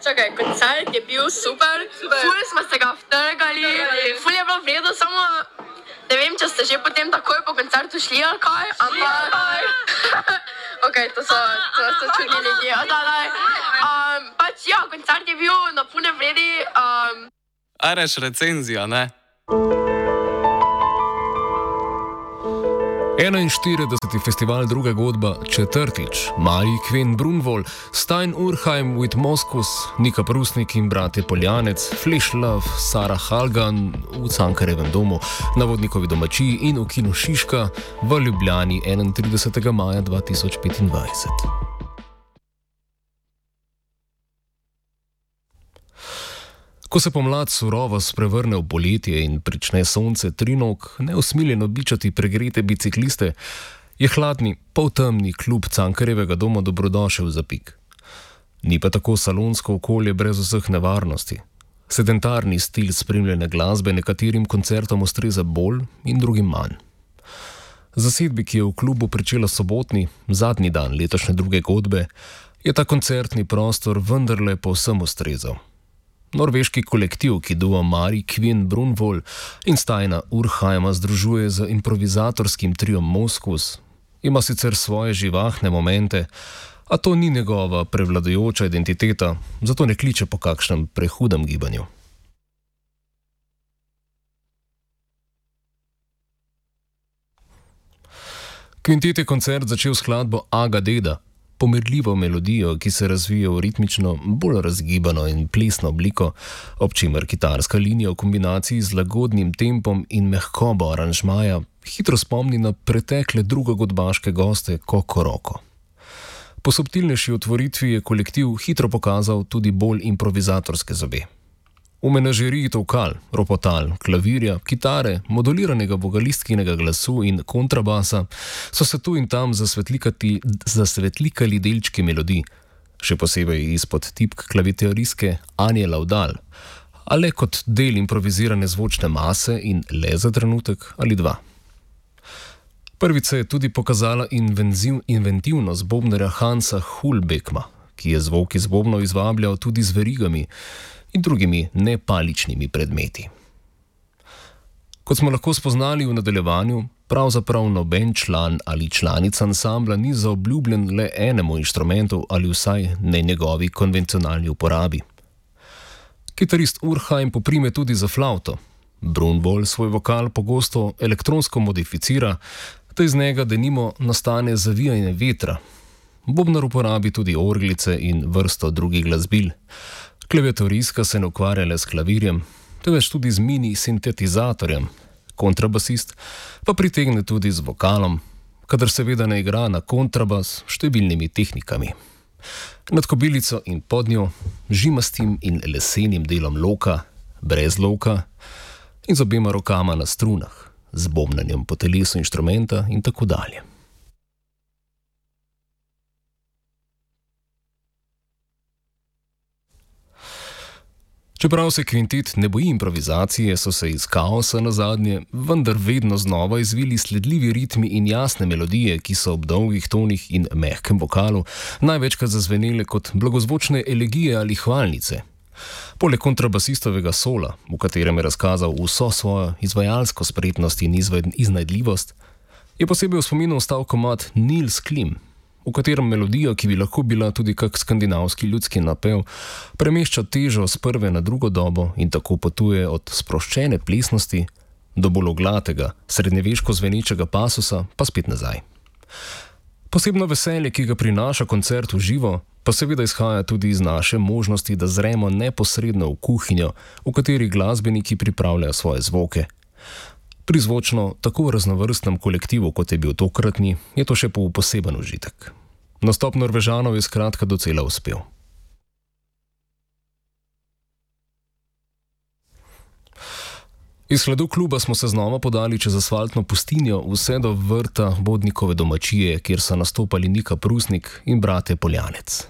Čakaj, koncert je bil super. Ful smo se ga vtrgali, ful je bilo vredo, samo ne vem, če ste že potem takoj po koncertu šli ali kaj, ampak... Ok, to so čudni ljudje. Pač ja, koncert je bil na pune vredi. Areš recenzija, ne? 41. festival Druga godba, četrtič, Mari Queen Brunvoll, Stein Urheim with Moskus, Nika Prusnik in bratje Poljanec, Flash Love, Sara Halgan v Cankarjevem domu, na Vodnikovi domačiji in v kinu Šiška v Ljubljani 31. maja 2025. Ko se pomlad surovo sprevrne v poletje in prične sonce trinog neusmiljeno bičati pregrete bicikliste, je hladni, poltemni klub Cankarjevega doma dobrodošel za pik. Ni pa tako salonsko okolje brez vseh nevarnosti. Sedentarni stil spremljene glasbe nekaterim koncertom ustreza bolj in drugim manj. Zasedbi, ki je v klubu pričela sobotni, zadnji dan letošnje Druge godbe, je ta koncertni prostor vendarle povsem ustrezal. Norveški kolektiv, ki duo Mari Queen Brunvoll in Steina Urheima združuje z improvizatorskim triom Moskus, ima sicer svoje živahne momente, a to ni njegova prevladujoča identiteta, zato ne kliče po kakšnem prehudem gibanju. Kvintet je koncert začel skladbo Aga Deda, pomirljivo melodijo, ki se razvije v ritmično, bolj razgibano in plesno obliko, ob čimer kitarska linija v kombinaciji z lagodnim tempom in mehkobo aranžmaja hitro spomni na pretekle drugogodbaške goste Koko Roko. Po subtilnejši otvoritvi je kolektiv hitro pokazal tudi bolj improvizatorske zobe. V menažeriji tolkal, ropotal, klavirja, kitare, moduliranega vokalistkynega glasu in kontrabasa so se tu in tam zasvetlikali delčki melodij, še posebej izpod tipk klaviteoristke Anje Laudal, a le kot del improvizirane zvočne mase in le za trenutek ali dva. Prvič je tudi pokazala inventivnost bobnarja Hansa Hulbekma, ki je zvok iz bobnov izvabljal tudi z verigami in drugimi nepaličnimi predmeti. Kot smo lahko spoznali v nadaljevanju, pravzaprav noben član ali članica ansambla ni zaobljubljen le enemu inštrumentu ali vsaj ne njegovi konvencionalni uporabi. Kitarist Urheim poprime tudi za flavto. Brunvoll svoj vokal pogosto elektronsko modificira, da iz njega denimo nastane zavijanje vetra. Bobnar uporabi tudi orglice in vrsto drugih glasbil. Klaviatoristka se ne ukvarja le s klavirjem, temveč tudi z mini sintetizatorjem. Kontrabasist pa pritegne tudi z vokalom, kadar seveda ne igra na kontrabas številnimi tehnikami. Nad kobilico in pod njo, žimastim in lesenim delom loka, brez loka in z obema rokama na strunah, z bobnanjem po telesu inštrumenta in tako dalje. Čeprav se kvintet ne boji improvizacije, so se iz kaosa nazadnje vendar vedno znova izvili sledljivi ritmi in jasne melodije, ki so ob dolgih tonih in mehkem vokalu največkrat zazvenele kot blagozvočne elegije ali hvalnice. Poleg kontrabasistovega sola, v katerem je razkazal vso svojo izvajalsko spretnost in iznajdljivost, je posebej v spominu ostal komad Nils Klim, v katerem melodija, ki bi lahko bila tudi kak skandinavski ljudski napev, premešča težo z prve na drugo dobo in tako potuje od sproščene plesnosti do bolj oglatega, srednjeveško zvenečega pasusa, pa spet nazaj. Posebno veselje, ki ga prinaša koncert v živo, pa seveda izhaja tudi iz naše možnosti, da zremo neposredno v kuhinjo, v kateri glasbeniki pripravljajo svoje zvoke. Pri zvočno tako raznovrstnem kolektivu, kot je bil tokratni, je to še poseben užitek. Nastop Norvežanov je skratka docela uspel. Iz hledu kluba smo se znova podali čez asfaltno pustinjo vse do vrta Vodnikove domačije, kjer so nastopali Nika Prusnik in bratje Poljanec.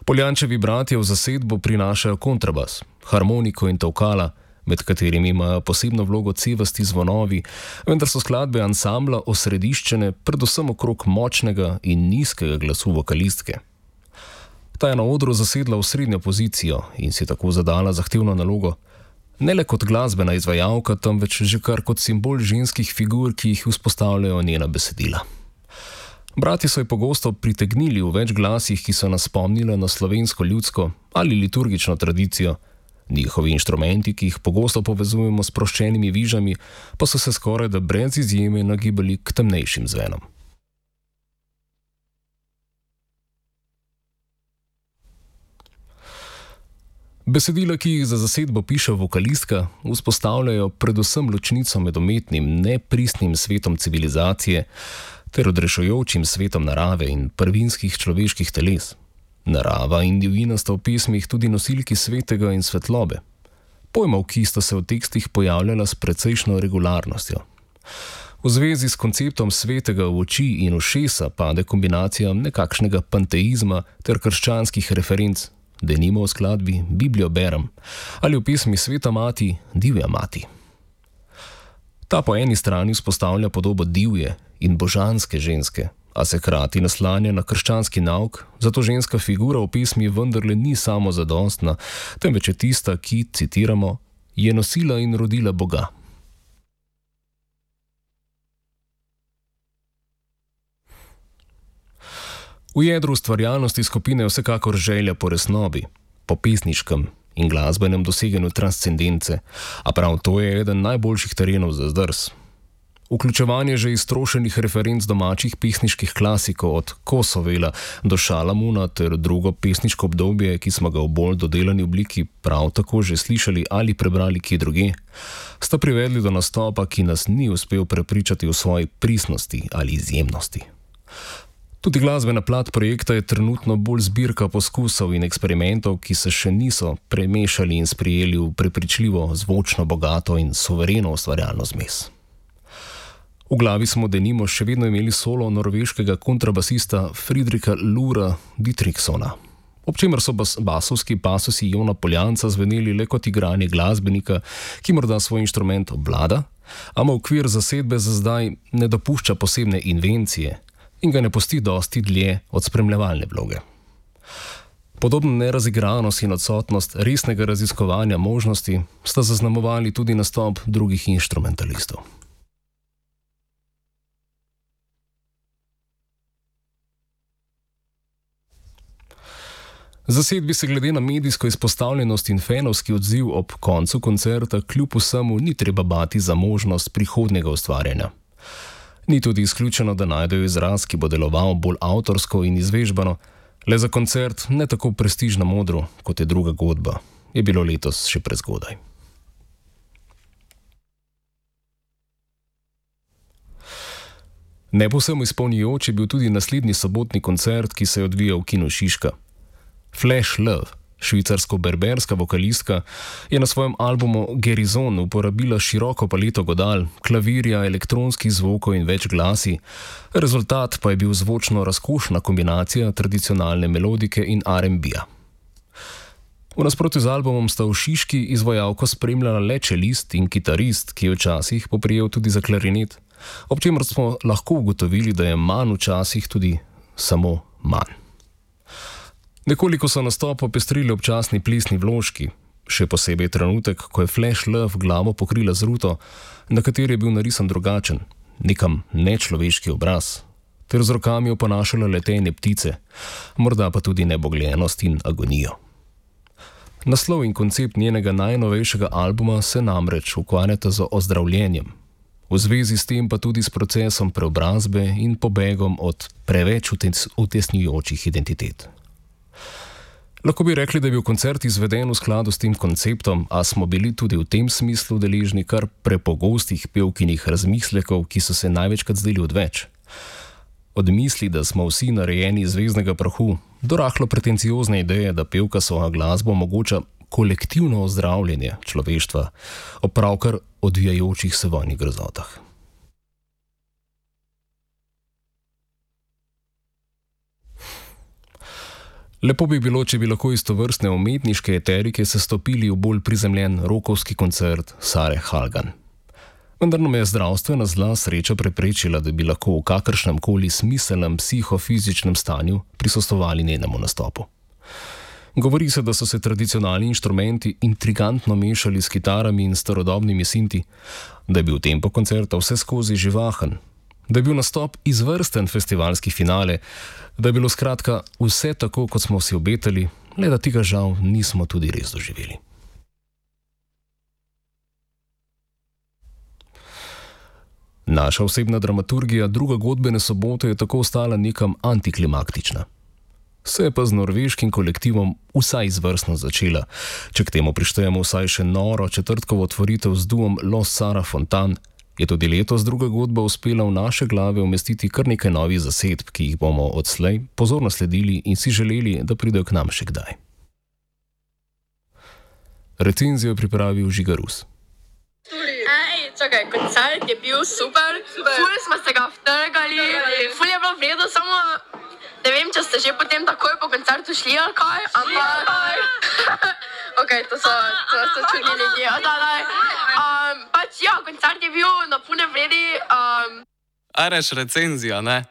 Poljančevi bratje v zasedbo prinašajo kontrabas, harmoniko in tolkala, med katerimi imajo posebno vlogo cevasti zvonovi, vendar so skladbe ansambla osrediščene predvsem okrog močnega in nizkega glasu vokalistke. Ta je na odru zasedla osrednjo pozicijo in si tako zadala zahtevno nalogo, ne le kot glasbena izvajalka, temveč že kar kot simbol ženskih figur, ki jih vzpostavljajo njena besedila. Brati so jo pogosto pritegnili v več glasih, ki so nas spomnili na slovensko ljudsko ali liturgično tradicijo. Njihovi inštrumenti, ki jih pogosto povezujemo s sproščenimi vižami, pa so se skoraj da brez izjeme nagibali k temnejšim zvenom. Besedila, ki jih za zasedbo piše vokalistka, vzpostavljajo predvsem ločnico med umetnim, nepristnim svetom civilizacije ter odrešujočim svetom narave in prvinskih človeških teles. Narava in divjina sta v pesmih tudi nosilki svetega in svetlobe. Pojmov, ki sta se v tekstih pojavljala s precejšno regularnostjo. V zvezi s konceptom svetega v oči in ušesa pade kombinacija nekakšnega panteizma ter krščanskih referenc, denimo v skladbi Biblijo berem ali v pesmi Sveta mati, divja mati. Ta po eni strani vzpostavlja podobo divje in božanske ženske, a se hkrati naslanja na krščanski nauk, zato ženska figura v pesmi vendarle ni samo zadostna, temveč je tista, ki, citiramo, je nosila in rodila Boga. V jedru ustvarjalnosti skupine je vsekakor želja po resnobi, po pesniškem in glasbenem doseganju transcendence, a prav to je eden najboljših terenov za zdrs. Vključevanje že iztrošenih referenc domačih pesniških klasikov od Kosovela do Šalamuna ter drugo pesniško obdobje, ki smo ga v bolj dodelani obliki prav tako že slišali ali prebrali kje druge, sta privedli do nastopa, ki nas ni uspel prepričati v svoji pristnosti ali izjemnosti. Tudi glasbena plat projekta je trenutno bolj zbirka poskusov in eksperimentov, ki se še niso premešali in sprijeli v prepričljivo, zvočno bogato in suvereno ustvarjalno zmes. V glavi smo denimo še vedno imeli solo norveškega kontrabasista Fridrika Lura Dietrichsona, ob čemer so basovski pasusi Jona Poljanca zveneli le kot igranje glasbenika, ki morda svoj inštrument obvlada, a mu okvir zasedbe za zdaj ne dopušča posebne invencije in ga ne pusti dosti dlje od spremljevalne vloge. Podobno nerazigranost in odsotnost resnega raziskovanja možnosti sta zaznamovali tudi nastop drugih inštrumentalistov. Zasedbi se glede na medijsko izpostavljenost in fenovski odziv ob koncu koncerta kljub vsemu ni treba bati za možnost prihodnjega ustvarjanja. Ni tudi izključeno, da najdejo izraz, ki bo deloval bolj avtorsko in izvežbano, le za koncert ne tako prestižno modro, kot je druga godba, je bilo letos še prezgodaj. Ne povsem izpolnjujoč je bil tudi naslednji sobotni koncert, ki se je odvijal v Kinu Šiška. Flash Love, švicarsko-berberska vokalistka, je na svojem albumu Gerizon uporabila široko paleto godal, klavirja, elektronskih zvokov in več glasi, rezultat pa je bil zvočno razkošna kombinacija tradicionalne melodike in R&B-ja. V nasprotju z albumom sta v Šiški izvajalko spremljala le čelist in kitarist, ki je včasih poprijel tudi za klarinet, ob čemer smo lahko ugotovili, da je manj včasih tudi samo manj. Nekoliko so nastop popestrili občasni plesni vložki, še posebej trenutek, ko je Flash Love glavo pokrila z ruto, na kateri je bil narisan drugačen, nekam nečloveški obraz, ter z rokami oponašala letenje ptice, morda pa tudi nebogljenost in agonijo. Naslov in koncept njenega najnovejšega albuma se namreč ukvarjata z ozdravljenjem, v zvezi s tem pa tudi s procesom preobrazbe in pobegom od preveč utesnjujočih identitet. Lahko bi rekli, da je bil koncert izveden v skladu s tem konceptom, a smo bili tudi v tem smislu deležni kar prepogostih pevkinih razmislekov, ki so se največkrat zdeli odveč. Od misli, da smo vsi narejeni iz zvezdnega prahu, do rahlo pretenciozne ideje, da pevka svojo glasbo omogoča kolektivno ozdravljenje človeštva ob pravkar odvijajočih se vojnih grozotah. Lepo bi bilo, če bi lahko istovrstne umetniške eterike sestopili v bolj prizemljen rokovski koncert Sare Halgan. Vendar nam je zdravstvena zla sreča preprečila, da bi lahko v kakršnem koli smiselnem psihofizičnem stanju prisostvovali njenemu nastopu. Govori se, da so se tradicionalni inštrumenti intrigantno mešali s kitarami in starodobnimi sinti, da je bil tempo koncerta vse skozi živahen, da je bil nastop izvrsten festivalski finale, da je bilo skratka vse tako, kot smo si obetali, le da tega žal nismo tudi res doživeli. Naša osebna dramaturgija druge godbene sobote je tako ostala nekam antiklimaktična. Se je pa z norveškim kolektivom vsaj izvrstno začela, če k temu prištejemo vsaj še noro četrtkovo otvoritev z duom Los Sara Fontan, je tudi letos druga godba uspela v naše glave umestiti kar nekaj novih zasedb, ki jih bomo odslej pozorno sledili in si želeli, da pridejo k nam še kdaj. Recenzijo je pripravil Žiga Rus. Čakaj, koncert je bil super, ful smo se ga vtrgali, ful je bilo vredo, samo ne vem, če ste že potem takoj po koncertu šli ali kaj, ampak ok, to so čudni ljudje, pač ja, koncert je bil na pune vredi. Areš recenzija, ne?